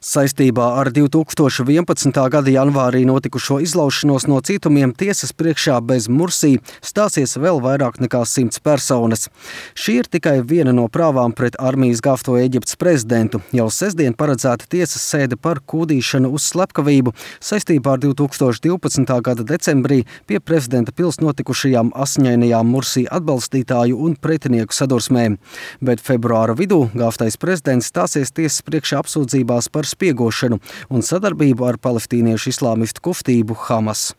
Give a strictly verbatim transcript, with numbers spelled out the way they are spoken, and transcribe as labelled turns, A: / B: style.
A: Saistībā ar divi tūkstoši vienpadsmitā gada janvārī notikušo izlaušanos no cietumiem tiesas priekšā bez Mursī stāsies vēl vairāk nekā simts personas. Šī ir tikai viena no prāvām pret armijas gāvto Ēģiptes prezidentu. Jau sestdien paredzēta tiesas sēde par kūdīšanu uz slepkavību saistībā ar divi tūkstoši divpadsmitā gada decembrī pie prezidenta pils notikušajām asiņainajām Mursī atbalstītāju un pretinieku sadursmēm. Bet februāra vidū gāvtais prezidents stāsies tiesas priekšā apsūdzībās par spiegošanu un sadarbību ar palestīniešu islāmistu kustību Hamas.